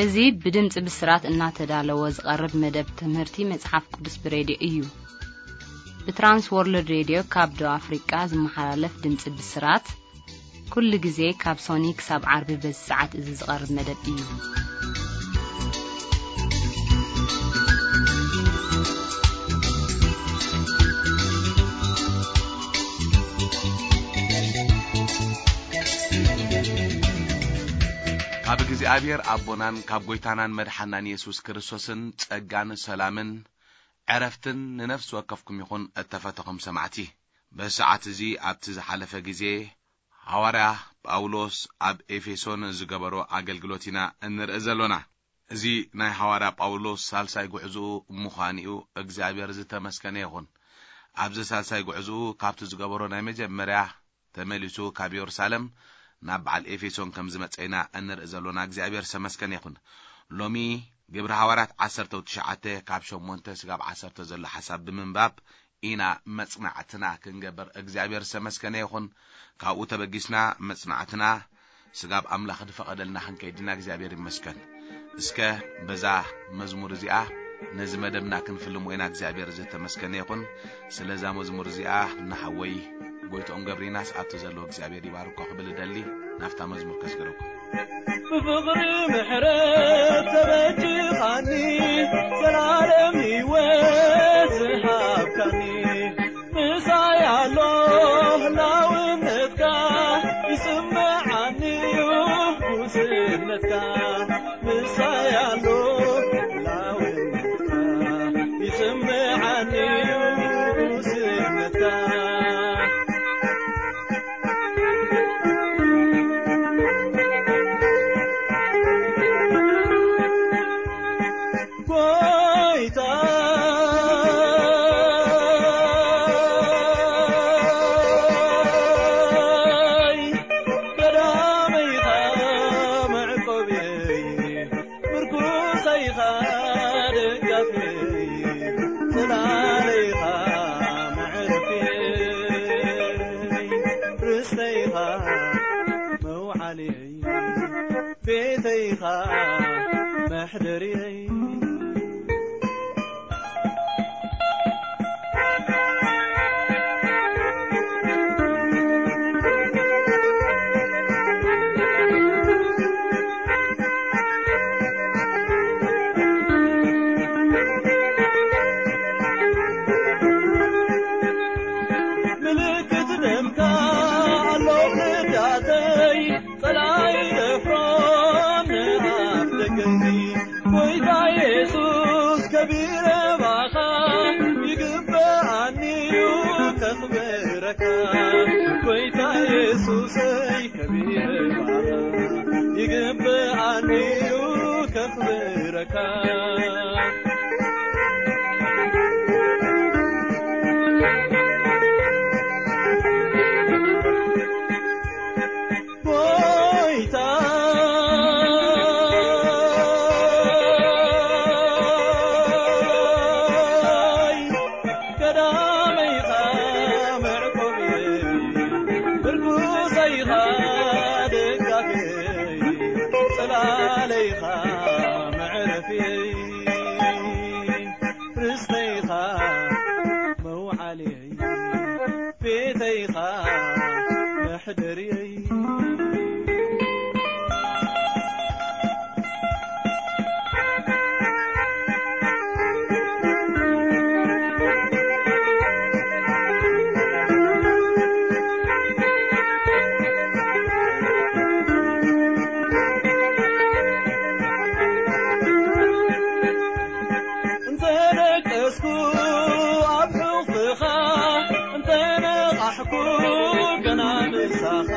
እዚ ብድምጺ ብስራት እናተዳለወ ዝቐርብ መደብ ትምህርቲ መጽሓፍ ቅዱስ ብሬድዮ እዩ። ብትራንስ ወርልድ ሬድዮ ካብ ደቡብ ኣፍሪቃ ዝመሓላለፍ ድምጺ ብስራት፣ ኩሉ ግዜ ካብ ሶኒ ክሳብ ዓርቢ በዚ ሰዓት እዚ ዝቐርብ መደብ እዩ። ካብ እግዚኣብሔር ኣቦናን ካብ ጐይታናን መድሓናን የሱስ ክርስቶስን ጸጋን ሰላምን ዕረፍትን ንነፍሲ ወከፍኩም ይኹን። እተፈተኹም ሰማዕቲ፣ በዚ ሰዓት እዚ ኣብቲ ዝሓለፈ ግዜ ሃዋርያ ጳውሎስ ኣብ ኤፌሶን ዝገበሮ ኣገልግሎት ኢና እንርኢ ዘሎና። እዚ ናይ ሃዋርያ ጳውሎስ ሳልሳይ ጉዕዞኡ ምዃኑ እዩ። እግዚኣብሔር ዝተመስገነ ይኹን። ኣብዚ ሳልሳይ ጉዕዞኡ ካብቲ ዝገበሮ ናይ መጀመርያ ተመሊሱ ካብ የሩሳሌም ናብ በዓል ኤፌሶን ከም ዝመጸ ኢና እንርኢ ዘሎና። እግዚኣብሔር ዝተመስገነ ይኹን። ሎሚ ግብሪ ሃዋርያት ዓሰርተ ትሽዓተ ካብ ሸሞንተ ስጋብ ዓሰርተ ዘሎ ሓሳብ ብምንባብ ኢና መጽናዕትና ክንገብር። እግዚኣብሔር ዝተመስገነ ይኹን። ካብኡ ተበጊስና መጽናዕትና ስጋብ ኣምላኽ ዝፈቐደልና ክንከይድና እግዚኣብሔር ይመስገን። እስከ በዛ መዝሙር እዚኣ ነዚ መደብና ክንፍልሞ ኢና። እግዚኣብሔር ዝተመስገነ ይኹን። ስለዛ መዝሙር እዚኣ ንሓወይ ጎይትኦም ገብሪናስ ኣብቲ ዘለዎ እግዚኣብሔር ይባርኮ ክብል እደሊ። ናብታ መዝሙር ከስግረኩም። ብፍቕሪ ምሕረት ተበጅኻኒ፣ ዘላለም ህይወት ዝሃብካኒ፣ ምሳይ ኣሎ ህላውነትካ፣ ይስምዓኒ እዩ ጉስነትካ። ምሳይ ኣሎ ህላውነትካ፣ ይስምዓኒ እዩ ጉስነትካ። ጎይታይ ቀዳመይኻ መዕቆብየይ፣ ምርኩሰይኻ ደጋፍየይ፣ ጽላለይኻ መዕረፍየይ፣ ርስተይኻ መውዓልየይ፣ ቤተይኻ መሕደርየይ። ምልክት ደምካ ኣሎ ክዳተይ፣ ጸላኢ ደፍሮ ንኣፍ ደገይ። ጎይታ የሱስ ከቢረ ባኻ፣ ይግበኣኒ እዩ ከኽብረካ። ጎይታ የሱሰይ ከቢረ ባኻ፣ ይግበኣኒ እዩ ከኽብረካ። ጎይታ ቀዳመይኻ መዕቆብየይ፣ ምርኩሰይኻ ደጋፍየይ፣ ጽላለይኻ መዕረፍየይ፣ ርስተይኻ መውዓልየይ፣ ቤተይኻ መሕደርየይ። እንተ ደቀስኩ ኣብ ሕቑፍኻ፣ እንተ ነቓሕኩ ገና ምሳኻ፣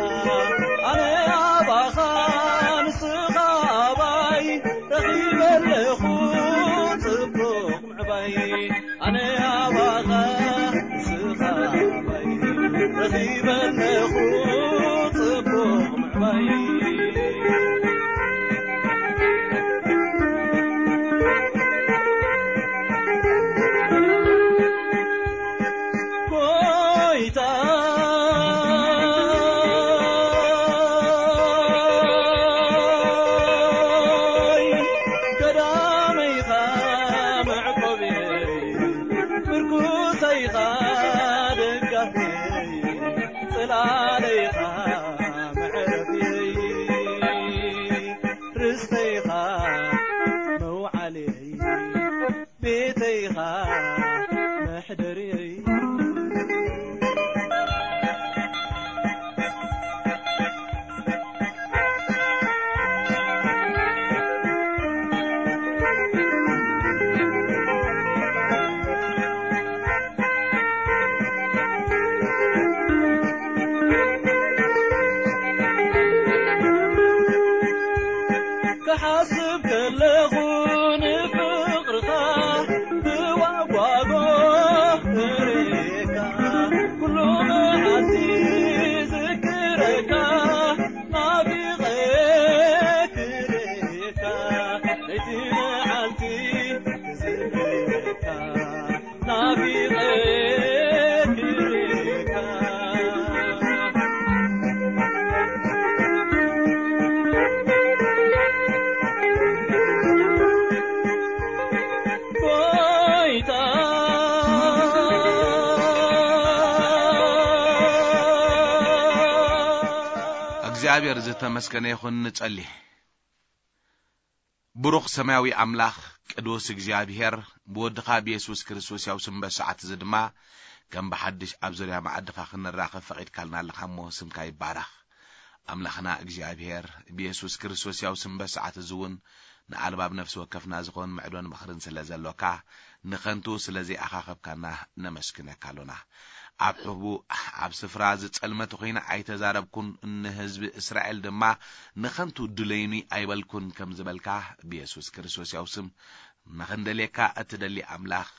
እግዚኣብሔር ዝተመስገነ ይኹን። ንጸሊ። ብሩኽ ሰማያዊ ኣምላኽ፣ ቅዱስ እግዚኣብሔር፣ ብወድኻ ብየሱስ ክርስቶስ ያው ስም በሰዓት እዚ ድማ ከም ብሓድሽ ኣብ ዙርያ መዓድኻ ክንራኸብ ፈቒድካልና ኣለኻ እሞ ስምካ ይባረኽ። ኣምላኽና እግዚኣብሔር፣ ብየሱስ ክርስቶስ ያው ስም በሰዓት እዚ እውን ንኣልባብ ነፍሲ ወከፍና ዝኾን ምዕዶን ምኽርን ስለ ዘሎካ፣ ንኸንቱ ስለ ዘይኣኻኸብካና ነመስግነካ ኣሎና። ኣብ ሕቡእ ኣብ ስፍራ ዝጸልመት ኮይነ ኣይተዛረብኩን፣ ንህዝቢ እስራኤል ድማ ንኸንቱ ድለዩኒ ኣይበልኩን ከም ዝበልካ፣ ብየሱስ ክርስቶስ ያው ስም ንኽንደልየካ እትደሊ ኣምላኽ፣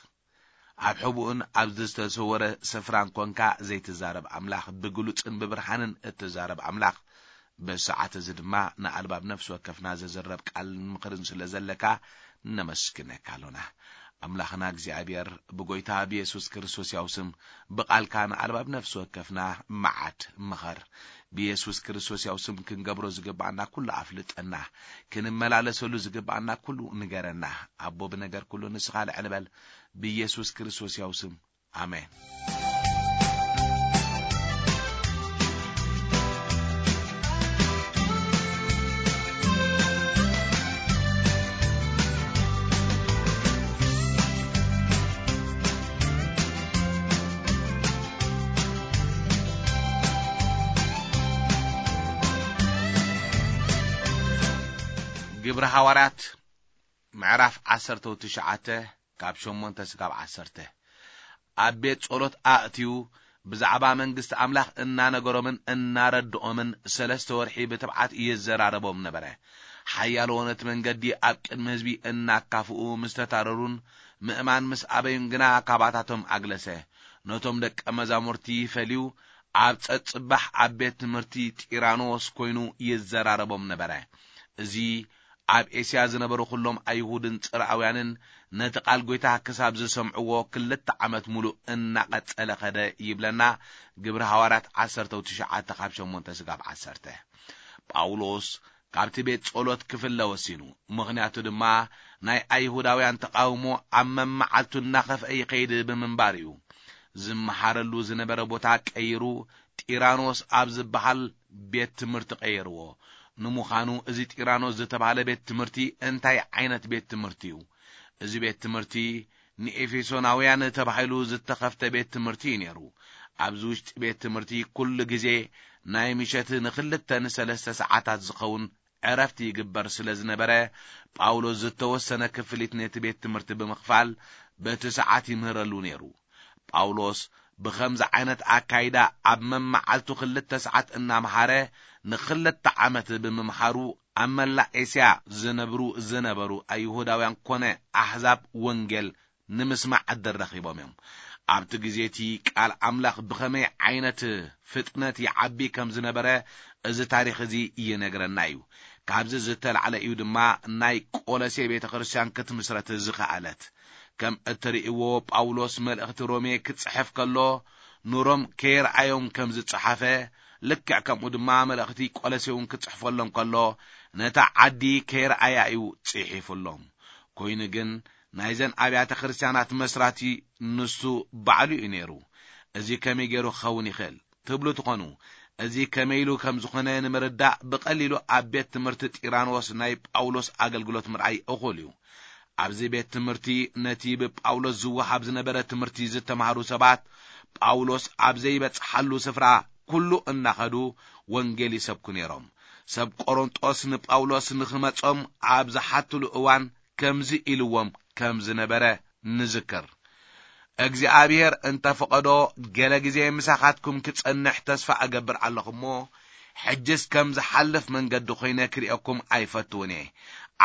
ኣብ ሕቡእን ኣብ ዝተሰወረ ስፍራን ኮንካ ዘይትዛረብ ኣምላኽ፣ ብግሉጽን ብብርሃንን እትዛረብ ኣምላኽ፣ በዚ ሰዓት እዚ ድማ ንኣልባብ ነፍሲ ወከፍና ዘዝረብ ቃልን ምኽርን ስለ ዘለካ ነመስግነካ ኣሎና። ኣምላኽና እግዚኣብሔር፣ ብጎይታ ብየሱስ ክርስቶስ ያው ስም ብቓልካ ንኣልባብ ነፍሲ ወከፍና መዓድ ምኸር። ብየሱስ ክርስቶስ ያው ስም ክንገብሮ ዝግብኣና ኩሉ ኣፍልጠና፣ ክንመላለሰሉ ዝግብኣና ኩሉ ንገረና። ኣቦ፣ ብነገር ኩሉ ንስኻ ልዕል በል። ብየሱስ ክርስቶስ ያው ስም፣ ኣሜን። ግብሪ ሃዋርያት ምዕራፍ ዓሰርተ ትሽዓተ፣ ካብ ሸሞንተ ስጋብ ዓሰርተ። ኣብ ቤት ጸሎት ኣእትዩ ብዛዕባ መንግስቲ ኣምላኽ እናነገሮምን እናረድኦምን ሰለስተ ወርሒ ብትብዓት ይዘራረቦም ነበረ። ሓያሎ ነቲ መንገዲ ኣብ ቅድሚ ህዝቢ እናካፍኡ ምስ ተታረሩን ምእማን ምስ ኣበዩን ግና ካባታቶም ኣግለሰ። ነቶም ደቀ መዛሙርቲ ፈልዩ ኣብ ጸጽባሕ ኣብ ቤት ትምህርቲ ጢራኖስ ኮይኑ ይዘራረቦም ነበረ። እዚ ኣብ ኤስያ ዝነበሩ ኩሎም ኣይሁድን ጽርኣውያንን ነቲ ቃል ጐይታ ክሳብ ዝሰምዕዎ ክልተ ዓመት ሙሉእ እናቐጸለ ኸደ ይብለና። ግብሪ ሃዋርያት ዓሰርተ ትሽዓተ ካብ ሸሞንተ ስጋብ ዓሰርተ። ጳውሎስ ካብቲ ቤት ጸሎት ክፍለ ወሲኑ። ምኽንያቱ ድማ ናይ ኣይሁዳውያን ተቓውሞ ኣብ መመዓልቱ እናኸፍአ ይኸይድ ብምንባር እዩ። ዝመሃረሉ ዝነበረ ቦታ ቀይሩ ጢራኖስ ኣብ ዝበሃል ቤት ትምህርቲ ቀየርዎ። ንምዃኑ እዚ ጢራኖስ ዝተባህለ ቤት ትምህርቲ እንታይ ዓይነት ቤት ትምህርቲ እዩ? እዚ ቤት ትምህርቲ ንኤፌሶናውያን ተባሂሉ ዝተኸፍተ ቤት ትምህርቲ እዩ ነይሩ። ኣብዚ ውሽጢ ቤት ትምህርቲ ኩሉ ግዜ ናይ ምሸት ንኽልተ ንሰለስተ ሰዓታት ዝኸውን ዕረፍቲ ይግበር ስለ ዝነበረ፣ ጳውሎስ ዝተወሰነ ክፍሊት ነቲ ቤት ትምህርቲ ብምኽፋል በቲ ሰዓት ይምህረሉ ነይሩ። ጳውሎስ ብኸምዚ ዓይነት ኣካይዳ ኣብ መመዓልቱ ክልተ ሰዓት እናምሃረ ንኽልተ ዓመት ብምምሃሩ ኣብ መላእ ኤስያ ዝነብሩ ዝነበሩ ኣይሁዳውያን ኮነ ኣሕዛብ ወንጌል ንምስማዕ ዕድል ረኺቦም እዮም። ኣብቲ ግዜ እቲ ቃል ኣምላኽ ብኸመይ ዓይነት ፍጥነት ይዓቢ ከም ዝነበረ እዚ ታሪኽ እዚ ይነግረና እዩ። ካብዚ ዝተላዕለ እዩ ድማ ናይ ቆሎሴ ቤተ ክርስቲያን ክትምስረት ዝኸኣለት። ከም እትርእይዎ ጳውሎስ መልእኽቲ ሮሜ ክጽሕፍ ከሎ ንሮም ከየርኣዮም ከም ዝጸሓፈ፣ ልክዕ ከምኡ ድማ መልእኽቲ ቆሎሴ እውን ክጽሕፈሎም ከሎ ነታ ዓዲ ከየርኣያ እዩ ጽሒፉሎም። ኮይኑ ግን ናይዘን ኣብያተ ክርስቲያናት መስራቲ ንሱ ባዕሉ እዩ ነይሩ። እዚ ከመይ ገይሩ ክኸውን ይኽእል ትብሉ ትኾኑ። እዚ ከመይ ኢሉ ከም ዝኾነ ንምርዳእ ብቐሊሉ ኣብ ቤት ትምህርቲ ጢራኖስ ናይ ጳውሎስ ኣገልግሎት ምርኣይ እኹል እዩ። ኣብዚ ቤት ትምህርቲ ነቲ ብጳውሎስ ዝወሃብ ዝነበረ ትምህርቲ ዝተማህሩ ሰባት ጳውሎስ ኣብ ዘይበጽሓሉ ስፍራ ኩሉ እናኸዱ ወንጌል ይሰብኩ ነይሮም። ሰብ ቆሮንጦስ ንጳውሎስ ንኽመጾም ኣብ ዝሓትሉ እዋን ከምዚ ኢልዎም ከም ዝነበረ ንዝክር። እግዚኣብሔር እንተ ፈቐዶ ገለ ግዜ ምሳኻትኩም ክጸንሕ ተስፋ እገብር ኣለኹ እሞ፣ ሕጅስ ከም ዝሓልፍ መንገዲ ኮይነ ክርእየኩም ኣይፈትውን እየ።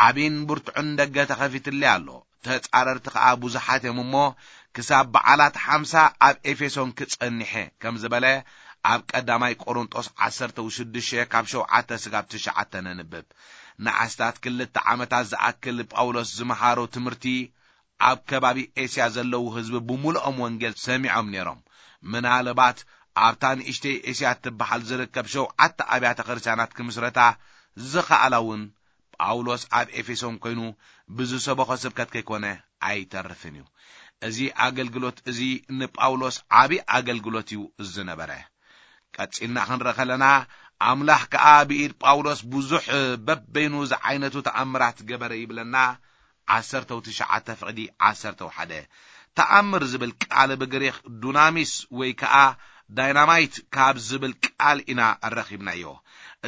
ዓቢን ብርቱዕን ደገ ተኸፊትለይ ኣሎ። ተጻረርቲ ከኣ ብዙሓት እዮም እሞ፣ ክሳብ በዓላት ሓምሳ ኣብ ኤፌሶን ክጸንሕ እየ ከም ዝበለ ኣብ ቀዳማይ ቆሮንጦስ ዓሰርተ ሽዱሽተ ካብ ሸውዓተ ስጋብ ትሽዓተ ነንብብ። ንኣስታት ክልተ ዓመታት ዝኣክል ጳውሎስ ዝመሃሮ ትምህርቲ ኣብ ከባቢ ኤስያ ዘለዉ ህዝቢ ብምሉኦም ወንጌል ሰሚዖም ነይሮም። ምናልባት ኣብታ ንእሽተይ ኤስያ እትበሃል ዝርከብ ሸውዓተ ኣብያተ ክርስቲያናት ክምስረታ ዝኸኣላ እውን ጳውሎስ ኣብ ኤፌሶን ኮይኑ ብዝሰበኾ ስብከት ከይኮነ ኣይተርፍን እዩ። እዚ ኣገልግሎት እዚ ንጳውሎስ ዓቢ ኣገልግሎት እዩ ዝነበረ። ቀጺልና ክንርኢ ከለና ኣምላኽ ከኣ ብኢድ ጳውሎስ ብዙሕ በበይኑ ዝዓይነቱ ተኣምራት ገበረ ይብለና። ዓሰርተው ትሽዓተ ፍቕዲ ዓሰርተው ሓደ። ተኣምር ዝብል ቃል ብግሪኽ ዱናሚስ ወይ ከኣ ዳይናማይት ካብ ዝብል ቃል ኢና ረኺብናዮ።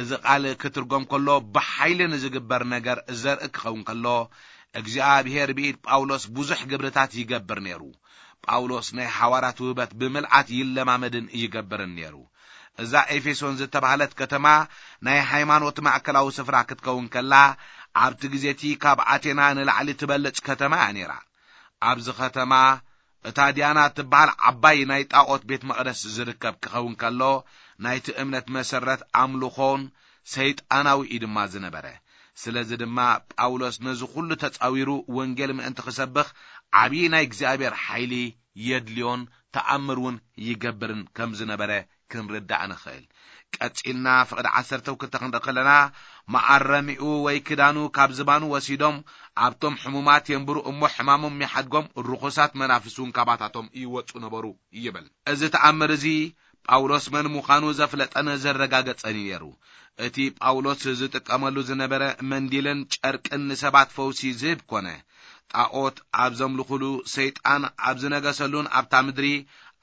እዚ ቃል ክትርጎም ከሎ ብሓይሊ ንዝግበር ነገር ዘርኢ ክኸውን ከሎ፣ እግዚኣብሔር ብኢድ ጳውሎስ ብዙሕ ግብርታት ይገብር ነይሩ። ጳውሎስ ናይ ሓዋርያት ውህበት ብምልኣት ይለማመድን ይገብርን ነይሩ። እዛ ኤፌሶን ዝተባህለት ከተማ ናይ ሃይማኖት ማእከላዊ ስፍራ ክትከውን ከላ፣ ኣብቲ ግዜ እቲ ካብ ኣቴና ንላዕሊ ትበልጽ ከተማ እያ ነይራ። ኣብዚ ከተማ እታ ዲያና እትበሃል ዓባይ ናይ ጣዖት ቤት መቕደስ ዝርከብ ክኸውን ከሎ፣ ናይቲ እምነት መሰረት ኣምልኾን ሰይጣናዊ እዩ ድማ ዝነበረ። ስለዚ ድማ ጳውሎስ ነዚ ኩሉ ተጻዊሩ ወንጌል ምእንቲ ክሰብኽ ዓብዪ ናይ እግዚኣብሔር ሓይሊ የድልዮን ተኣምር እውን ይገብርን ከም ዝነበረ ክንርዳእ ንኽእል። ቀጺልና ፍቕዲ ዓሰርተው ክልተ ክንርኢ ከለና፣ መኣረሚኡ ወይ ክዳኑ ካብ ዝባኑ ወሲዶም ኣብቶም ሕሙማት የንብሩ እሞ ሕማሞም ይሓድጎም፣ ርኹሳት መናፍስት እውን ካባታቶም ይወጹ ነበሩ ይብል። እዚ ተኣምር እዚ ጳውሎስ መን ምዃኑ ዘፍለጠን ዘረጋገጸን እዩ ነይሩ። እቲ ጳውሎስ ዝጥቀመሉ ዝነበረ መንዲልን ጨርቅን ንሰባት ፈውሲ ዝህብ ኮነ። ጣዖት ኣብ ዘምልኹሉ፣ ሰይጣን ኣብ ዝነገሰሉን ኣብታ ምድሪ፣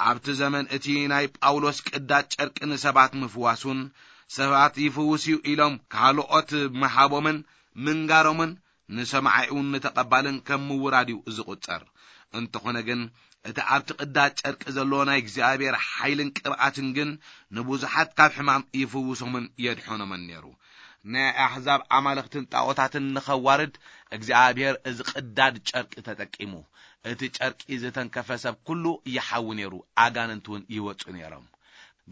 ኣብቲ ዘመን እቲ ናይ ጳውሎስ ቅዳድ ጨርቂ ንሰባት ምፍዋሱን ሰባት ይፍውስ እዩ ኢሎም ካልኦት ምሃቦምን ምንጋሮምን ንሰማዒኡን ንተቐባልን ከም ምውራድ እዩ ዝቑጸር። እንተኾነ ግን፣ እቲ ኣብቲ ቅዳድ ጨርቂ ዘሎ ናይ እግዚኣብሔር ሓይልን ቅብኣትን ግን ንብዙሓት ካብ ሕማም ይፍውሶምን የድሖኖምን ነይሩ። ናይ ኣሕዛብ ኣማልኽትን ጣዖታትን ንኸዋርድ እግዚኣብሔር እዚ ቅዳድ ጨርቂ ተጠቂሙ። እቲ ጨርቂ ዝተንከፈ ሰብ ኩሉ ይሓዊ ነይሩ፣ ኣጋንንት እውን ይወጹ ነይሮም።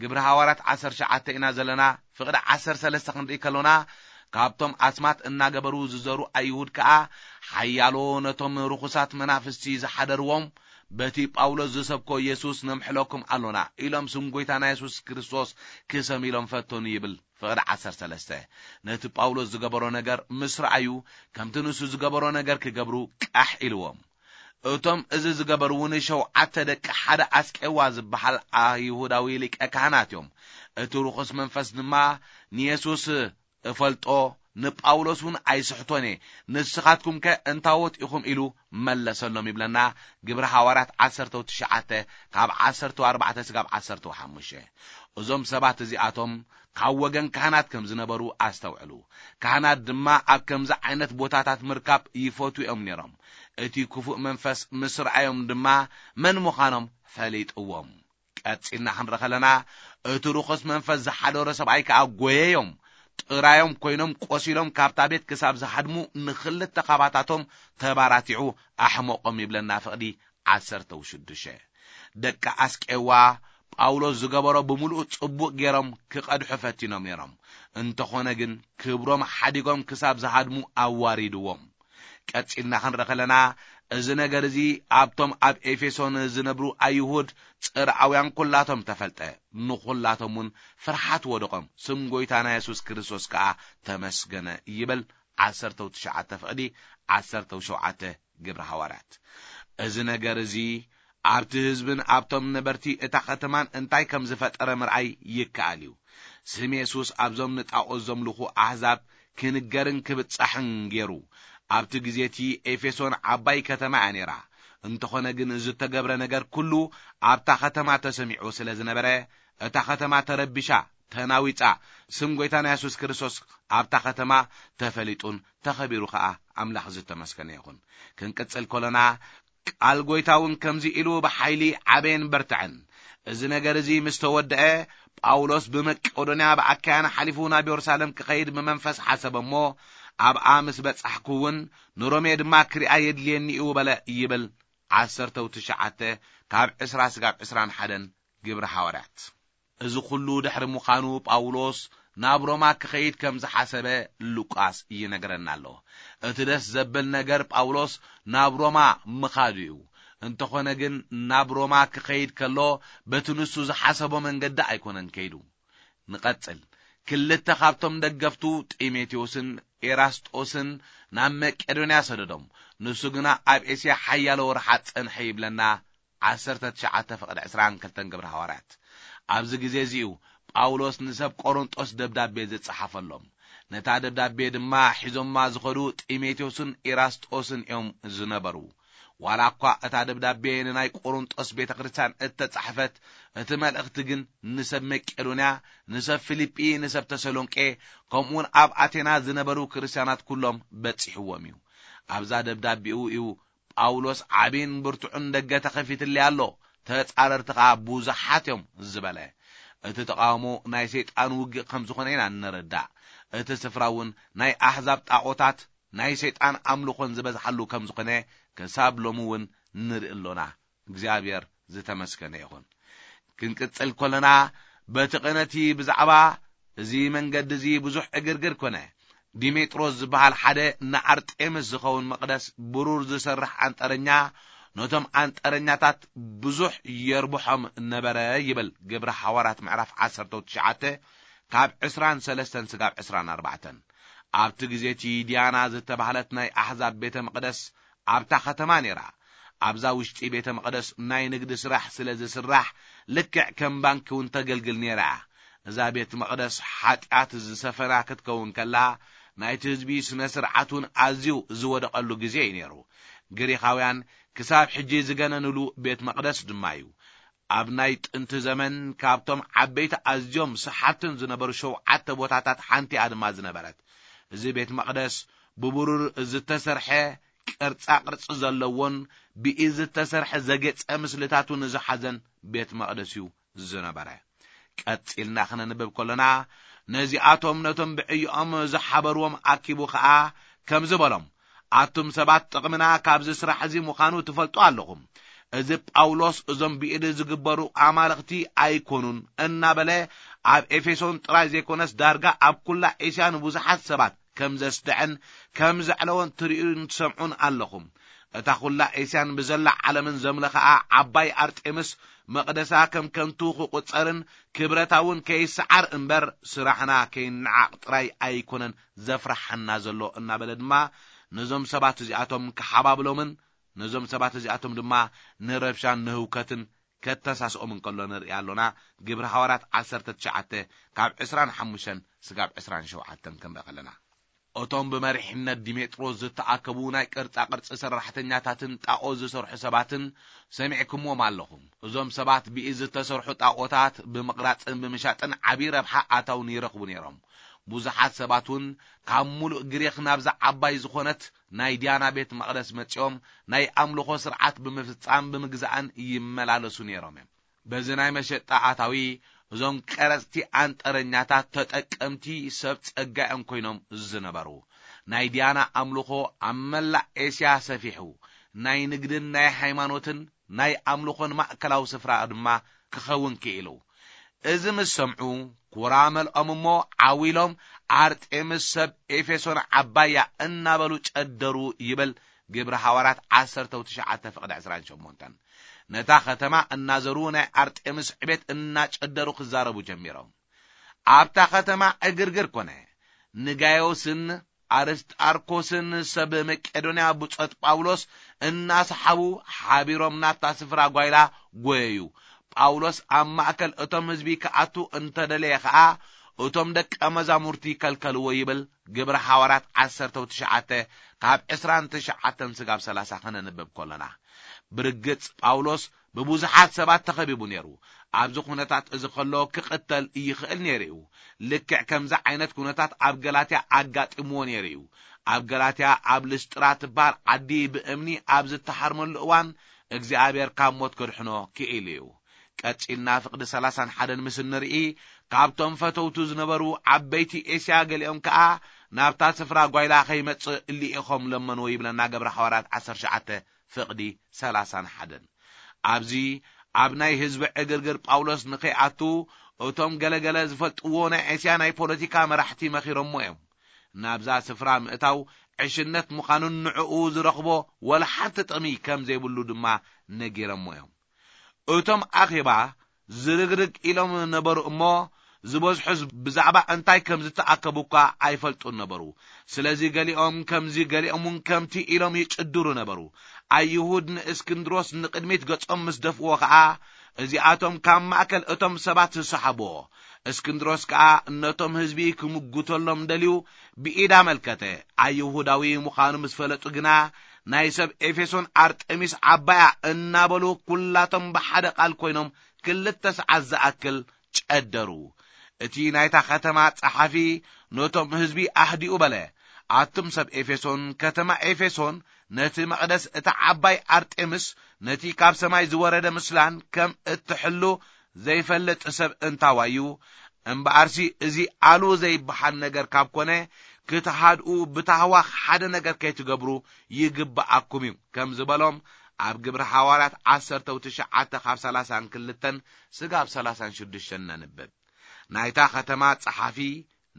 ግብሪ ሃዋርያት ዓሰርተ ትሽዓተ ኢና ዘለና፣ ፍቕዲ ዓሰርተ ሰለስተ ክንርኢ ከሎና፣ ካብቶም ኣስማት እናገበሩ ዝዘሩ ኣይሁድ ከኣ ሓያሎ ነቶም ርኹሳት መናፍስቲ ዝሓደርዎም፣ በቲ ጳውሎስ ዝሰብኮ የሱስ ነምሕለኩም ኣሎና ኢሎም ስም ጐይታና የሱስ ክርስቶስ ክሰም ኢሎም ፈተኑ ይብል። ፍቕዲ ዓሰርተ ሰለስተ። ነቲ ጳውሎስ ዝገበሮ ነገር ምስ ረኣዩ፣ ከምቲ ንሱ ዝገበሮ ነገር ክገብሩ ቃሕ ኢልዎም። እቶም እዚ ዝገበሩ እውን ሸውዓተ ደቂ ሓደ ኣስቄዋ ዝበሃል ኣይሁዳዊ ሊቀ ካህናት እዮም። እቲ ርኹስ መንፈስ ድማ ንየሱስ እፈልጦ፣ ንጳውሎስ እውን ኣይስሕቶን እየ፣ ንስኻትኩም ከ እንታዎት ኢኹም ኢሉ መለሰሎም ይብለና። ግብሪ ሃዋርያት ዓሰርተ ትሽዓተ ካብ ዓሰርተ ኣርባዕተ ስጋብ ዓሰርተ ሓሙሽተ። እዞም ሰባት እዚኣቶም ካብ ወገን ካህናት ከም ዝነበሩ ኣስተውዕሉ። ካህናት ድማ ኣብ ከምዚ ዓይነት ቦታታት ምርካብ ይፈትዉ እዮም ነይሮም። እቲ ክፉእ መንፈስ ምስ ረኣዮም ድማ መን ምዃኖም ፈሊጥዎም። ቀጺልና ክንርኢ ከለና፣ እቲ ርኹስ መንፈስ ዝሓደሮ ሰብኣይ ከኣ ጐየዮም። ጥራዮም ኮይኖም ቆሲሎም ካብታ ቤት ክሳብ ዝሃድሙ ንኽልተ ካባታቶም ተባራቲዑ ኣሕመቖም ይብለና ፍቕዲ ዓሰርተ ሽዱሽተ። ደቂ ኣስቄዋ ጳውሎስ ዝገበሮ ብምሉኡ ጽቡቕ ገይሮም ክቐድሑ ፈቲኖም ነይሮም። እንተኾነ ግን ክብሮም ሓዲጎም ክሳብ ዝሃድሙ ኣዋሪድዎም። ቀጺልና ክንርኢ ከለና፣ እዚ ነገር እዚ ኣብቶም ኣብ ኤፌሶን ዝነብሩ ኣይሁድ ጽርዓውያን ኩላቶም ተፈልጠ። ንኹላቶም እውን ፍርሓት ወደቖም። ስም ጐይታና የሱስ ክርስቶስ ከኣ ተመስገነ ይብል። ዓሰርተው ትሽዓተ ፍቕዲ ዓሰርተው ሸውዓተ ግብሪ ሃዋርያት። እዚ ነገር እዚ ኣብቲ ህዝብን ኣብቶም ነበርቲ እታ ከተማን እንታይ ከም ዝፈጠረ ምርኣይ ይከኣል እዩ። ስም የሱስ ኣብዞም ንጣኦት ዘምልኹ ኣህዛብ ክንገርን ክብጻሕን ገይሩ። ኣብቲ ግዜ እቲ ኤፌሶን ዓባይ ከተማ እያ ነይራ። እንተኾነ ግን ዝተገብረ ነገር ኩሉ ኣብታ ከተማ ተሰሚዑ ስለ ዝነበረ፣ እታ ከተማ ተረቢሻ፣ ተናዊጻ። ስም ጐይታና የሱስ ክርስቶስ ኣብታ ከተማ ተፈሊጡን ተኸቢሩ ኸኣ ኣምላኽ ዝተመስገነ ይኹን። ክንቅጽል ከሎና፣ ቃል ጐይታ እውን ከምዚ ኢሉ ብሓይሊ ዓበየን በርትዐን። እዚ ነገር እዚ ምስ ተወድአ፣ ጳውሎስ ብመቄዶንያ ብኣካያን ሓሊፉ ናብ የሩሳሌም ክኸይድ ብመንፈስ ሓሰበ እሞ፣ ኣብኣ ምስ በጻሕኩ እውን ንሮሜ ድማ ክሪኣ የድልየኒ እዩ በለ ይብል። ዓሰርተው ትሽዓተ ካብ ዕስራ ስጋብ ዕስራን ሓደን ግብሪ ሃዋርያት። እዚ ኩሉ ድሕሪ ምዃኑ ጳውሎስ ናብ ሮማ ክኸይድ ከም ዝሓሰበ ሉቃስ ይነግረና ኣሎ። እቲ ደስ ዘብል ነገር ጳውሎስ ናብ ሮማ ምኻዱ እዩ። እንተኾነ ግን ናብ ሮማ ክኸይድ ከሎ በቲ ንሱ ዝሓሰቦ መንገዲ ኣይኮነን ከይዱ። ንቐጽል። ክልተ ካብቶም ደገፍቱ ጢሞቴዎስን ኤራስጦስን ናብ መቄዶንያ ሰደዶም። ንሱ ግና ኣብ ኤስያ ሓያሎ ወርሓት ጸንሐ ይብለና። ዓሰርተ ትሽዓተ ፍቕዲ ዕስራን ክልተን ግብሪ ሃዋርያት። ኣብዚ ግዜ እዚ እዩ ጳውሎስ ንሰብ ቆሮንጦስ ደብዳቤ ዝጸሓፈሎም። ነታ ደብዳቤ ድማ ሒዞማ ዝኸዱ ጢሞቴዎስን ኢራስጦስን እዮም ዝነበሩ። ዋላ እኳ እታ ደብዳቤ ንናይ ቆሮንጦስ ቤተ ክርስቲያን እተጻሕፈት፣ እቲ መልእኽቲ ግን ንሰብ መቄዶንያ፣ ንሰብ ፊልጲ፣ ንሰብ ተሰሎንቄ፣ ከምኡውን ኣብ ኣቴና ዝነበሩ ክርስቲያናት ኩሎም በጺሕዎም እዩ። ኣብዛ ደብዳቤኡ እዩ ጳውሎስ ዓቢን ብርቱዕን ደገ ተኸፊትለይ ኣሎ፣ ተጻረርቲ ኸኣ ብዙሓት እዮም ዝበለ። እቲ ተቓውሞ ናይ ሰይጣን ውግእ ከም ዝኾነ ኢና እንርዳእ። እቲ ስፍራ እውን ናይ ኣሕዛብ ጣዖታት፣ ናይ ሰይጣን ኣምልኾን ዝበዝሓሉ ከም ዝኾነ ክሳብ ሎሚ እውን ንርኢ ኣሎና። እግዚኣብሔር ዝተመስገነ ይኹን። ክንቅጽል ከለና፣ በቲ ቅነቲ ብዛዕባ እዚ መንገዲ እዚ ብዙሕ ዕግርግር ኮነ። ዲሜጥሮስ ዝበሃል ሓደ ንኣርጤምስ ዝኸውን መቕደስ ብሩር ዝሰርሕ ኣንጠረኛ፣ ነቶም ኣንጠረኛታት ብዙሕ የርብሖም ነበረ ይብል ግብረ ሓዋርያት ምዕራፍ ዓሰርተ ትሽዓተ ካብ ዕስራን ሰለስተን ስጋብ ዕስራን ኣርባዕተን። ኣብቲ ግዜ እቲ ዲያና ዝተባህለት ናይ ኣሕዛብ ቤተ መቕደስ ኣብታ ከተማ ነይራ። ኣብዛ ውሽጢ ቤተ መቕደስ ናይ ንግዲ ስራሕ ስለ ዝስራሕ፣ ልክዕ ከም ባንኪ እውን ተገልግል ነይራ እያ። እዛ ቤት መቕደስ ሓጢኣት ዝሰፈና ክትከውን ከላ፣ ናይቲ ህዝቢ ስነ ስርዓት እውን ኣዝዩ ዝወደቐሉ ግዜ እዩ ነይሩ። ግሪኻውያን ክሳብ ሕጂ ዝገነንሉ ቤት መቕደስ ድማ እዩ። ኣብ ናይ ጥንቲ ዘመን ካብቶም ዓበይቲ ኣዝዮም ሰሓብትን ዝነበሩ ሸውዓተ ቦታታት ሓንቲ እያ ድማ ዝነበረት። እዚ ቤት መቕደስ ብብሩር ዝተሰርሐ ቅርጻ ቅርጺ ዘለዎን ብኢድ ዝተሰርሐ ዘጌጸ ምስልታቱ ንዝሓዘን ቤት መቕደስ እዩ ዝነበረ። ቀጺልና ክነንብብ ከሎና፣ ነዚኣቶም ነቶም ብዕዮኦም ዝሓበርዎም ኣኪቡ ኸኣ ከምዚ በሎም፣ ኣቱም ሰባት ጥቕምና ካብዚ ስራሕ እዚ ምዃኑ ትፈልጡ ኣለኹም። እዚ ጳውሎስ እዞም ብኢድ ዝግበሩ ኣማልኽቲ ኣይኮኑን እናበለ ኣብ ኤፌሶን ጥራይ ዘይኮነስ ዳርጋ ኣብ ኩላ ኤስያ ንብዙሓት ሰባት ከም ዘስድዐን ከም ዘዕለወን ትርእዩን ትሰምዑን ኣለኹም። እታ ኩላ ኤስያን ብዘላ ዓለምን ዘምለኸኣ ዓባይ ኣርጤምስ መቕደሳ ከም ከንቱ ክቑጸርን ክብረታ እውን ከይሰዓር እምበር ስራሕና ከይነዓቕ ጥራይ ኣይኮነን ዘፍርሓና ዘሎ እናበለ ድማ ነዞም ሰባት እዚኣቶም ክሓባብሎምን ነዞም ሰባት እዚኣቶም ድማ ንረብሻን ንህውከትን ከተሳስኦም እንከሎ ንርኢ ኣሎና። ግብሪ ሃዋርያት ዓሰርተ ትሽዓተ ካብ ዕስራን ሓሙሽተን ስጋብ ዕስራን ሸውዓተን ክንርኢ ከለና። እቶም ብመሪሕነት ዲሜጥሮስ ዝተኣከቡ ናይ ቅርጻ ቅርጺ ሰራሕተኛታትን ጣዖት ዝሰርሑ ሰባትን ሰሚዕኩምዎም ኣለኹም። እዞም ሰባት ብኢድ ዝተሰርሑ ጣዖታት ብምቕራጽን ብምሻጥን ዓቢ ረብሓ ኣታውን ይረኽቡ ነይሮም። ብዙሓት ሰባት እውን ካብ ሙሉእ ግሪኽ ናብዛ ዓባይ ዝኾነት ናይ ዲያና ቤት መቕደስ መጺኦም ናይ ኣምልኾ ስርዓት ብምፍጻም ብምግዛእን ይመላለሱ ነይሮም እዮም። በዚ ናይ መሸጣ ኣታዊ እዞም ቀረጽቲ ኣንጠረኛታት ተጠቀምቲ ሰብ ጸጋ እዮም ኮይኖም ዝነበሩ። ናይ ዲያና ኣምልኾ ኣብ መላእ ኤስያ ሰፊሑ ናይ ንግድን ናይ ሃይማኖትን ናይ ኣምልኾን ማእከላዊ ስፍራ ድማ ክኸውን ክኢሉ። እዚ ምስ ሰምዑ ኩራ መልኦም እሞ ዓው ኢሎም ኣርጤምስ ሰብ ኤፌሶን ዓባያ እናበሉ ጨደሩ ይብል ግብሪ ሃዋርያት ዓሰርተ ትሽዓተ ፍቕዲ ዕስራን ሸሞንተን። ነታ ከተማ እናዘሩ ናይ ኣርጤምስ ዕቤት እናጨደሩ ክዛረቡ ጀሚሮም። ኣብታ ከተማ ዕግርግር ኮነ። ንጋዮስን ኣርስጣርኮስን ሰብ መቄዶንያ ብጾት ጳውሎስ እናሰሓቡ ሓቢሮም ናብታ ስፍራ ጓይላ ጎየዩ። ጳውሎስ ኣብ ማእከል እቶም ህዝቢ ክኣቱ እንተደለየ ኸኣ እቶም ደቀ መዛሙርቲ ከልከልዎ ይብል ግብሪ ሃዋርያት ዓሰርተ ትሽዓተ ካብ ዕስራን ትሽዓተን ስጋብ ሰላሳ ከነንብብ ከሎና። ብርግጽ ጳውሎስ ብብዙሓት ሰባት ተኸቢቡ ነይሩ። ኣብዚ ኩነታት እዚ ከሎ ክቕተል ይኽእል ነይሩ እዩ። ልክዕ ከምዚ ዓይነት ኩነታት ኣብ ገላትያ ኣጋጢምዎ ነይሩ እዩ። ኣብ ገላትያ ኣብ ልስጥራ ትበሃል ዓዲ ብእምኒ ኣብ ዝተሃርመሉ እዋን እግዚኣብሔር ካብ ሞት ከድሕኖ ክኢሉ እዩ። ቀጺልና ፍቕዲ ሰላሳን ሓደን ምስ እንርኢ፣ ካብቶም ፈተውቱ ዝነበሩ ዓበይቲ ኤስያ ገሊኦም ከኣ ናብታ ስፍራ ጓይላ ከይመጽእ ልኢኾም ለመንዎ ይብለና ግብሪ ሃዋርያት ዓሰርተ ትሽዓተ ፍቕዲ ሰላሳን ሓደን። ኣብዚ ኣብ ናይ ህዝቢ ዕግርግር ጳውሎስ ንኸይኣቱ እቶም ገለገለ ዝፈልጥዎ ናይ ኤስያ ናይ ፖለቲካ መራሕቲ መኺሮሞ እዮም። ናብዛ ስፍራ ምእታው ዕሽነት ምዃኑን ንዕኡ ዝረኽቦ ወላ ሓንቲ ጥቕሚ ከም ዘይብሉ ድማ ነጊሮሞ እዮም። እቶም ኣኼባ ዝርግርግ ኢሎም ነበሩ እሞ፣ ዝበዝሑ ብዛዕባ እንታይ ከም ዝተኣከቡ እኳ ኣይፈልጡን ነበሩ። ስለዚ ገሊኦም ከምዚ፣ ገሊኦም እውን ከምቲ ኢሎም ይጭድሩ ነበሩ። ኣይሁድ ንእስክንድሮስ ንቕድሚት ገጾም ምስ ደፍዎ ኸኣ፣ እዚኣቶም ካብ ማእከል እቶም ሰባት ዝሰሓብዎ፣ እስክንድሮስ ከኣ ነቶም ህዝቢ ክምጉተሎም ደልዩ ብኢድ ኣመልከተ። ኣይሁዳዊ ምዃኑ ምስ ፈለጡ ግና፣ ናይ ሰብ ኤፌሶን ኣርጤሚስ ዓባያ እናበሉ ኩላቶም ብሓደ ቃል ኮይኖም ክልተ ሰዓት ዝኣክል ጨደሩ። እቲ ናይታ ከተማ ጸሓፊ ነቶም ህዝቢ ኣህዲኡ በለ፣ ኣቱም ሰብ ኤፌሶን፣ ከተማ ኤፌሶን ነቲ መቕደስ እታ ዓባይ ኣርጤምስ፣ ነቲ ካብ ሰማይ ዝወረደ ምስላን ከም እትሕሉ ዘይፈልጥ ሰብ እንታዋዩ? እምበኣርሲ እዚ ኣሉ ዘይበሃል ነገር ካብ ኮነ፣ ክትሃድኡ ብታህዋኽ ሓደ ነገር ከይትገብሩ ይግብኣኩም እዩ፣ ከም ዝበሎም ኣብ ግብሪ ሓዋርያት ዓሰርተ ትሽዓተ ካብ ሰላሳን ክልተን ስጋብ ሰላሳን ሽዱሽተን ነንብብ። ናይታ ከተማ ጸሓፊ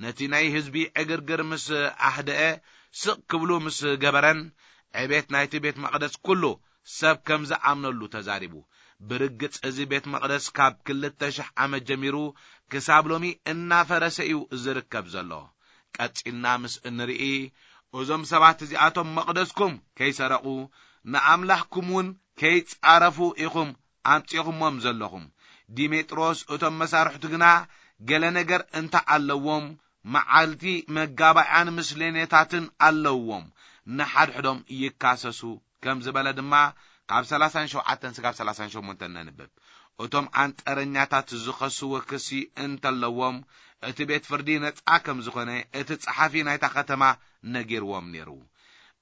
ነቲ ናይ ህዝቢ ዕግርግር ምስ ኣህደአ፣ ስቕ ክብሉ ምስ ገበረን፣ ዕቤት ናይቲ ቤት መቕደስ ኩሉ ሰብ ከም ዝኣምነሉ ተዛሪቡ። ብርግጽ እዚ ቤት መቕደስ ካብ ክልተ ሽሕ ዓመት ጀሚሩ ክሳብ ሎሚ እናፈረሰ እዩ ዝርከብ ዘሎ። ቀጺልና ምስ እንርኢ፣ እዞም ሰባት እዚኣቶም መቕደስኩም ከይሰረቑ፣ ንኣምላኽኩም እውን ከይጻረፉ ኢኹም ኣምጺኹሞም ዘለኹም። ዲሜጥሮስ፣ እቶም መሳርሕቱ ግና ገለ ነገር እንተ ኣለዎም፣ መዓልቲ መጋባእያን ምስሌኔታትን ኣለዎም፣ ንሓድሕዶም ይካሰሱ፣ ከም ዝበለ ድማ ካብ ሰላሳን ሸውዓተን ስጋብ ሰላሳን ሸሞንተን ነንብብ። እቶም ኣንጠረኛታት ዝኸስዎ ክሲ እንተለዎም፣ እቲ ቤት ፍርዲ ነጻ ከም ዝኾነ እቲ ጸሓፊ ናይታ ከተማ ነጊርዎም ነይሩ።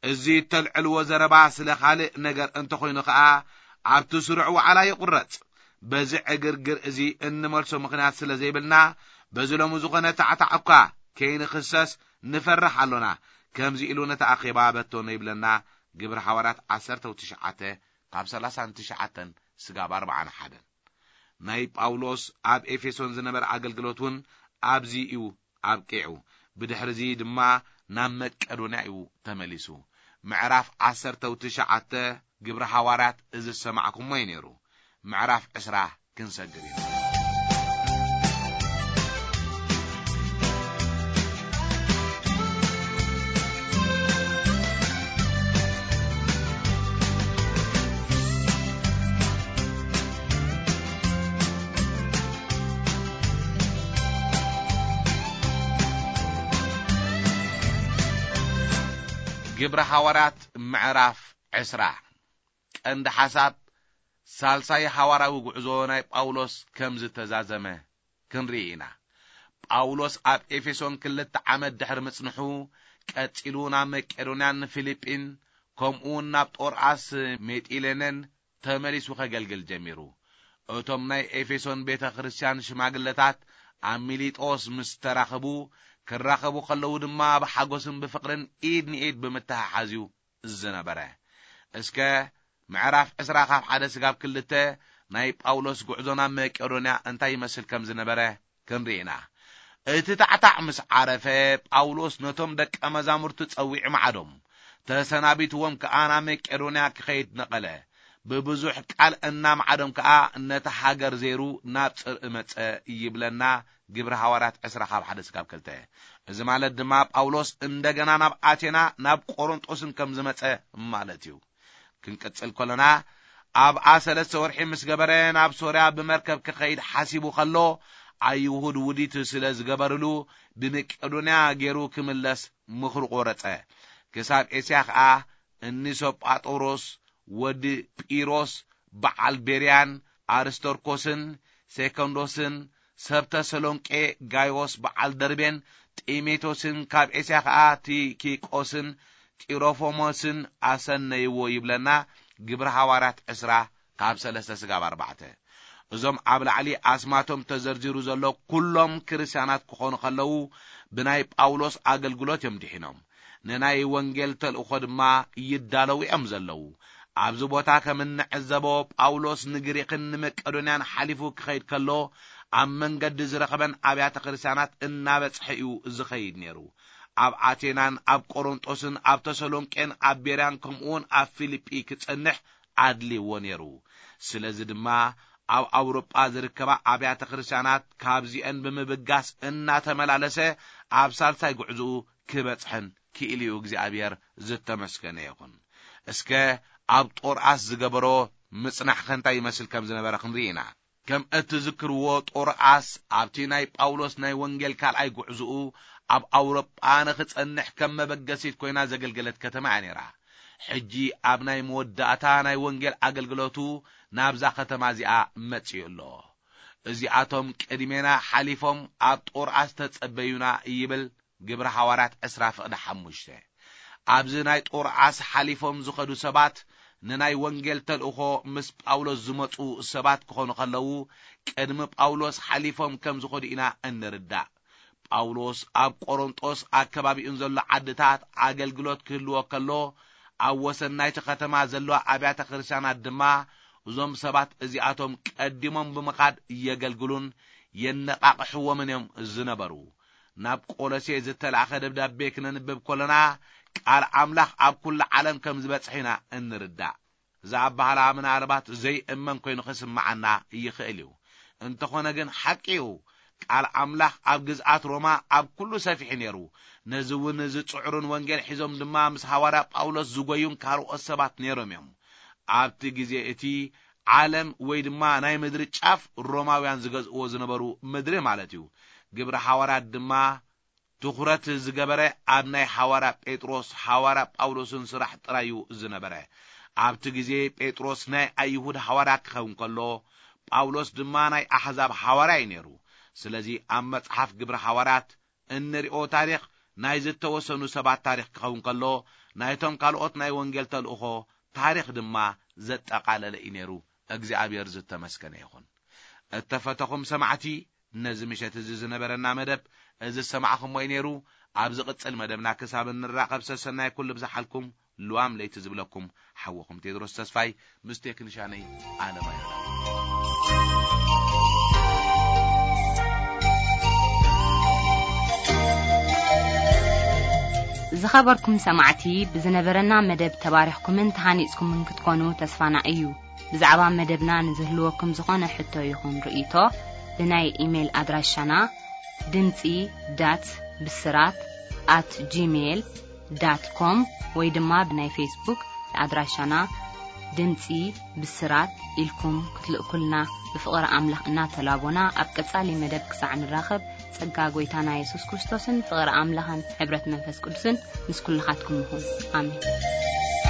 እዚ እተልዕልዎ ዘረባ ስለ ካልእ ነገር እንተኾይኑ ኸኣ፣ ኣብቲ ስሩዕ ዋዕላ ይቑረጽ። በዚ ዕግርግር እዚ እንመልሶ ምኽንያት ስለ ዘይብልና፣ በዚ ሎሚ ዝኾነ ታዕታዕ እኳ ከይንኽሰስ ንፈርሕ ኣሎና። ከምዚ ኢሉ ነቲ ኣኼባ በተኖ ይብለና ግብሪ ሓዋርያት ዓሰርተ ትሽዓተ ካብ ሰላሳን ትሽዓተን ስጋብ ኣርባዓን ሓደን። ናይ ጳውሎስ ኣብ ኤፌሶን ዝነበረ ኣገልግሎት እውን ኣብዚ እዩ ኣብቂዑ። ብድሕርዚ ድማ ናብ መቄዶንያ እዩ ተመሊሱ። ምዕራፍ ዓሰርተ ትሽዓተ ግብሪ ሃዋርያት እዚ ዝሰማዕኩሞ እዩ ነይሩ። ምዕራፍ ዕስራ ክንሰግር ኢና። ግብሪ ሃዋርያት ምዕራፍ ዕስራ። ቀንዲ ሓሳብ ሳልሳይ ሃዋርያዊ ጉዕዞ ናይ ጳውሎስ ከም ዝተዛዘመ ክንርኢ ኢና። ጳውሎስ ኣብ ኤፌሶን ክልተ ዓመት ድሕሪ ምጽንሑ፣ ቀጺሉ ናብ መቄዶንያን ፊልጲን፣ ከምኡውን ናብ ጦርኣስ ሜጢሌነን ተመሊሱ ከገልግል ጀሚሩ። እቶም ናይ ኤፌሶን ቤተ ክርስቲያን ሽማግለታት ኣብ ሚሊጦስ ምስ ተራኸቡ፣ ክራኸቡ ከለዉ ድማ ብሓጎስን ብፍቕርን ኢድ ንኢድ ብምትሕሓዝ እዩ ዝነበረ። እስከ ምዕራፍ ዕስራ ካብ ሓደ ስጋብ ክልተ ናይ ጳውሎስ ጉዕዞ ናብ መቄዶንያ እንታይ ይመስል ከም ዝነበረ ክንርኢ ኢና። እቲ ታዕታዕ ምስ ዓረፈ፣ ጳውሎስ ነቶም ደቀ መዛሙርቱ ጸዊዑ ማዕዶም፣ ተሰናቢትዎም ከኣ ናብ መቄዶንያ ክኸይድ ነቐለ። ብብዙሕ ቃል እናማዕዶም ከኣ ነታ ሃገር ዘይሩ ናብ ጽርኢ መጸ ይብለና ግብሪ ሃዋርያት ዕስራ ካብ ሓደ ስጋብ ክልተ። እዚ ማለት ድማ ጳውሎስ እንደገና ናብ ኣቴና ናብ ቆሮንጦስን ከም ዝመጸ ማለት እዩ። ክንቅጽል ከለና፣ ኣብኣ ሰለስተ ወርሒ ምስ ገበረ ናብ ሶርያ ብመርከብ ክኸይድ ሓሲቡ ከሎ፣ ኣይሁድ ውዲት ስለ ዝገበርሉ ብመቄዶንያ ገይሩ ክምለስ ምኽሩ ቆረጸ። ክሳብ ኤስያ ኸኣ እኒ ሶጳጦሮስ ወዲ ጲሮስ በዓል ቤርያን ኣርስቶርኮስን ሴኮንዶስን ሰብ ተሰሎንቄ ጋይዎስ በዓል ደርቤን ጢሞቴዎስን ካብ ኤስያ ኸኣ ቲኪቆስን ጢሮፎሞስን ኣሰነይዎ ይብለና ግብሪ ሃዋርያት ዕስራ ካብ ሰለስተ ስጋብ ኣርባዕተ። እዞም ኣብ ላዕሊ ኣስማቶም ተዘርዚሩ ዘሎ ኩሎም ክርስትያናት ክኾኑ ከለዉ ብናይ ጳውሎስ ኣገልግሎት እዮም ድሒኖም። ንናይ ወንጌል ተልእኾ ድማ ይዳለዉ እዮም ዘለዉ። ኣብዚ ቦታ ከም እንዕዘቦ ጳውሎስ ንግሪክን ንመቄዶንያን ሓሊፉ ክኸይድ ከሎ ኣብ መንገዲ ዝረኸበን ኣብያተ ክርስትያናት እናበጽሐ እዩ ዝኸይድ ነይሩ። ኣብ ኣቴናን ኣብ ቆሮንጦስን ኣብ ተሰሎንቄን ኣብ ቤርያን ከምኡውን ኣብ ፊልጲ ክጸንሕ ኣድልይዎ ነይሩ። ስለዚ ድማ ኣብ ኣውሮጳ ዝርከባ ኣብያተ ክርስትያናት ካብዚአን ብምብጋስ እናተመላለሰ ኣብ ሳልሳይ ጉዕዝኡ ክበጽሐን ክኢልዩ እግዚኣብሔር ዝተመስገነ ይኹን። እስከ ኣብ ጦርኣስ ዝገበሮ ምጽናሕ ከ እንታይ ይመስል ከም ዝነበረ ክንርኢ ኢና። ከም እትዝክርዎ፣ ጦርዓስ ኣብቲ ናይ ጳውሎስ ናይ ወንጌል ካልኣይ ጉዕዝኡ ኣብ ኣውሮጳ ንኽጸንሕ ከም መበገሲት ኮይና ዘገልገለት ከተማ እያ ነይራ። ሕጂ ኣብ ናይ መወዳእታ ናይ ወንጌል ኣገልግሎቱ ናብዛ ከተማ እዚኣ መጺኡ ኣሎ። "እዚኣቶም ቅድሜና ሓሊፎም ኣብ ጦርዓስ ተጸበዩና" ይብል ግብሪ ሃዋርያት ዕስራ ፍቕዲ ሓሙሽተ። ኣብዚ ናይ ጦርዓስ ሓሊፎም ዝኸዱ ሰባት ንናይ ወንጌል ተልእኾ ምስ ጳውሎስ ዝመጹ ሰባት ክኾኑ ከለዉ፣ ቅድሚ ጳውሎስ ሓሊፎም ከም ዝኸዱ ኢና እንርዳእ። ጳውሎስ ኣብ ቆሮንጦስ ኣከባቢኡን ዘሎ ዓድታት ኣገልግሎት ክህልዎ ከሎ፣ ኣብ ወሰን ናይቲ ከተማ ዘለዋ ኣብያተ ክርስቲያናት ድማ እዞም ሰባት እዚኣቶም ቀዲሞም ብምኻድ የገልግሉን የነቓቕሕዎምን እዮም ዝነበሩ። ናብ ቆሎሴ ዝተላእኸ ደብዳቤ ክነንብብ ከለና፣ ቃል ኣምላኽ ኣብ ኩሉ ዓለም ከም ዝበጽሕ ኢና እንርዳእ። እዚ ኣበሃህላ ምናልባት ዘይእመን ኮይኑ ክስምዓና ይኽእል እዩ። እንተኾነ ግን ሓቂ እዩ። ቃል ኣምላኽ ኣብ ግዝኣት ሮማ ኣብ ኩሉ ሰፊሑ ነይሩ። ነዚ እውን ዝጽዕሩን ወንጌል ሒዞም ድማ ምስ ሃዋርያ ጳውሎስ ዝጎዩን ካልኦት ሰባት ነይሮም እዮም። ኣብቲ ግዜ እቲ ዓለም ወይ ድማ ናይ ምድሪ ጫፍ ሮማውያን ዝገዝእዎ ዝነበሩ ምድሪ ማለት እዩ። ግብሪ ሃዋርያት ድማ ትኹረት ዝገበረ ኣብ ናይ ሃዋርያ ጴጥሮስ፣ ሃዋርያ ጳውሎስን ስራሕ ጥራይ እዩ ዝነበረ። ኣብቲ ግዜ ጴጥሮስ ናይ ኣይሁድ ሃዋርያ ክኸውን ከሎ፣ ጳውሎስ ድማ ናይ ኣሕዛብ ሃዋርያ እዩ ነይሩ። ስለዚ ኣብ መጽሓፍ ግብሪ ሃዋርያት እንሪኦ ታሪኽ ናይ ዝተወሰኑ ሰባት ታሪኽ ክኸውን ከሎ፣ ናይቶም ካልኦት ናይ ወንጌል ተልእኾ ታሪኽ ድማ ዘጠቓለለ እዩ ነይሩ። እግዚኣብሔር ዝተመስገነ ይኹን። እተፈተኹም ሰማዕቲ፣ ነዚ ምሸት እዚ ዝነበረና መደብ እዚ ዝሰማዕኹሞ እዩ ነይሩ። ኣብ ዝቕጽል መደብና ክሳብ እንራኸብ ሰሰናይ ኩሉ ብዝሓልኩም፣ ልዋም ለይቲ ዝብለኩም ሓወኹም ቴድሮስ ተስፋይ ምስ ቴክኒሻነይ ኣለማየሁ። ዝኸበርኩም ሰማዕቲ፣ ብዝነበረና መደብ ተባሪኽኩምን ተሃኒጽኩምን ክትኮኑ ተስፋና እዩ። ብዛዕባ መደብና ንዝህልወኩም ዝኾነ ሕቶ ይኹን ርእይቶ፣ ብናይ ኢሜይል ኣድራሻና ድምጺ ዳት ብስራት ኣት ጂሜይል ዳት ኮም ወይ ድማ ብናይ ፌስቡክ ኣድራሻና ድምጺ ብስራት ኢልኩም ክትልእኩልና ብፍቕሪ ኣምላኽ እናተላቦና፣ ኣብ ቀጻሊ መደብ ክሳዕ ንራኸብ፣ ጸጋ ጐይታና የሱስ ክርስቶስን ፍቕሪ ኣምላኽን ሕብረት መንፈስ ቅዱስን ምስ ኩልኻትኩም ይኹን። ኣሜን።